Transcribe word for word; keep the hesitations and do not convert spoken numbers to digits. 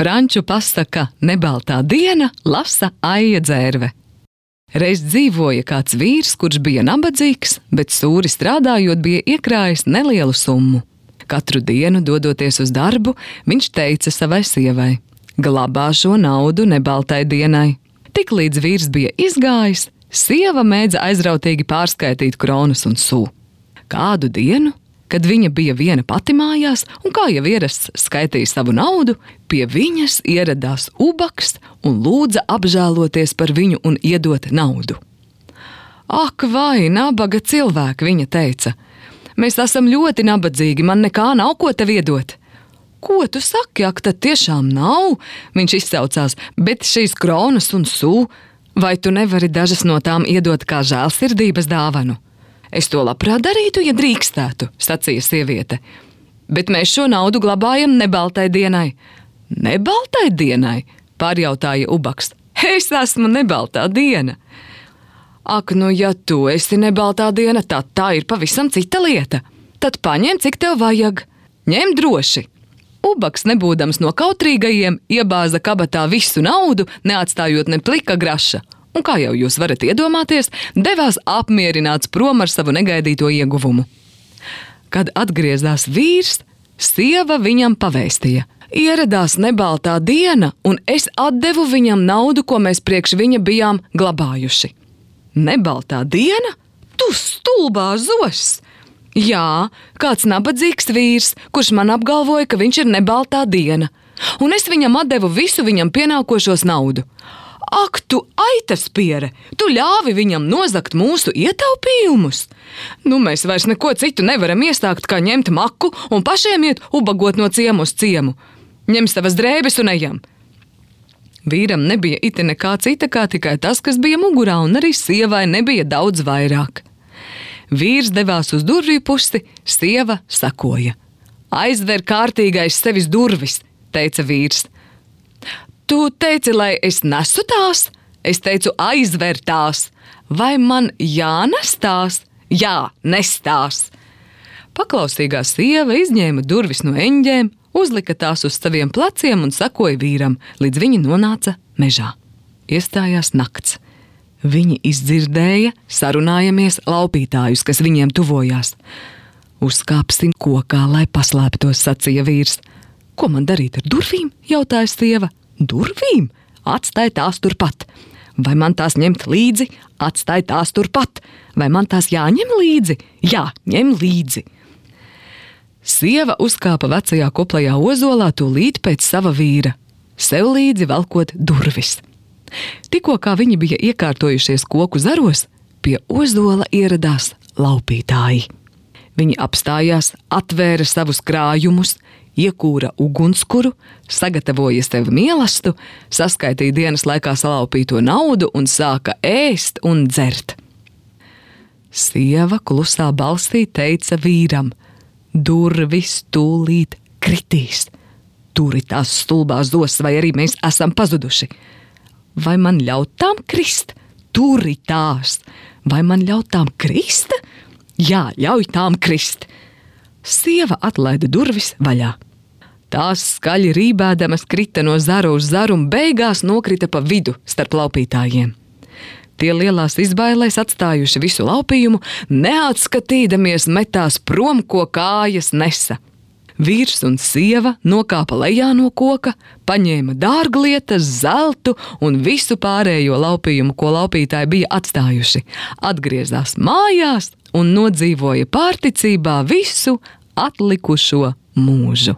Franču pasaka Nebaltā diena lasa Aija Dzērve. Reiz dzīvoja kāds vīrs, kurš bija nabadzīgs, bet sūri strādājot bija iekrājis nelielu summu. Katru dienu, dodoties uz darbu, viņš teica savai sievai: glabā šo naudu nebaltai dienai. Tiklīdz vīrs bija izgājis, sieva mēdza aizrautīgi pārskaitīt kronas un sū. Kādu dienu, kad viņa bija viena pati mājās un kā jau ierasts skaitīja savu naudu, pie viņas ieradās ubaks un lūdza apžēloties par viņu un iedot naudu. Ak, vai nabaga cilvēki, viņa teica, mēs esam ļoti nabadzīgi, man nekā nav ko tev iedot. Ko tu saki, ak, tad tiešām nav, viņš izsaucās, bet šīs kronas un sū, vai tu nevari dažas no tām iedot kā žēlsirdības dāvanu? Es to labprāt darītu, ja drīkstētu, sacīja sieviete. Bet mēs šo naudu glabājam nebaltai dienai. Nebaltai dienai? Pārjautāja ubaks. Es esmu nebaltā diena. Ak, nu ja tu esi nebaltā diena, tad tā ir pavisam cita lieta. Tad paņem, cik tev vajag. Ņem droši. Ubaks, nebūdams no kautrīgajiem, iebāza kabatā visu naudu, neatstājot ne plika graša. Un, kā jau jūs varat iedomāties, devās apmierināts prom ar savu negaidīto ieguvumu. Kad atgriezās vīrs, sieva viņam pavēstīja: ieradās nebaltā diena, un es atdevu viņam naudu, ko mēs priekš viņa bijām glabājuši. Nebaltā diena? Tu stulbā zos! Jā, kāds nabadzīgs vīrs, kurš man apgalvoja, ka viņš ir nebaltā diena, un es viņam atdevu visu viņam pienākošos naudu. Ak, tu aitaspiere, tu ļāvi viņam nozagt mūsu ietaupījumus. Nu, mēs vairs neko citu nevaram iestākt, kā ņemt maku un pašiem iet ubagot no ciemu uz ciemu. Ņem savas drēbes un ejam. Vīram nebija ite nekā cita, kā tikai tas, kas bija mugurā, un arī sievai nebija daudz vairāk. Vīrs devās uz durvju pusi, sieva sakoja. Aizver kārtīgais sevis durvis, teica vīrs. Tu teici, lai es nesu tās? Es teicu, aizver tās. Vai man jānestās? Jā, nestās. Paklausīgā sieva izņēma durvis no eņģēm, uzlika tās uz saviem pleciem un sakoja vīram, līdz viņi nonāca mežā. Iestājās nakts. Viņi izdzirdēja, sarunājamies laupītājus, kas viņiem tuvojās. Uzkāpsim kokā, lai paslēptos, sacīja vīrs. Ko man darīt ar durvīm? Jautāja sieva. Durvīm? Atstāj tās turpat. Vai man tās ņemt līdzi? Atstāj tās turpat. Vai man tās jāņem līdzi? Jā, ņem līdzi. Sieva uzkāpa vecajā koplajā ozolā tūlīt pēc sava vīra, sev līdzi velkot durvis. Tikko kā viņi bija iekārtojušies koku zaros, pie ozola ieradās laupītāji. Viņi apstājās, atvēra savus krājumus, iekūra ugunskura, sagatavoja sev mielastu, saskaitīja dienas laikā salaupīto naudu un sāka ēst un dzert. Sieva klusā balsī teica vīram: durvis tūlīt kritīs. Turi tās stulbās zos, vai arī mēs esam pazuduši. Vai man ļaut tām krist? Turi tās. Vai man ļaut tām krist? Jā, ļauj tām krist. Sieva atlaida durvis vaļā. Tās skaļi rībēdamas krita no zaru uz zaru un beigās nokrita pa vidu starp laupītājiem. Tie lielās izbailēs atstājuši visu laupījumu, neatskatīdamies metās prom, ko kājas nesa. Vīrs un sieva nokāpa lejā no koka, paņēma dārglietas, zeltu un visu pārējo laupījumu, ko laupītāji bija atstājuši. Atgriezās mājās un nodzīvoja pārticībā visu atlikušo mūžu.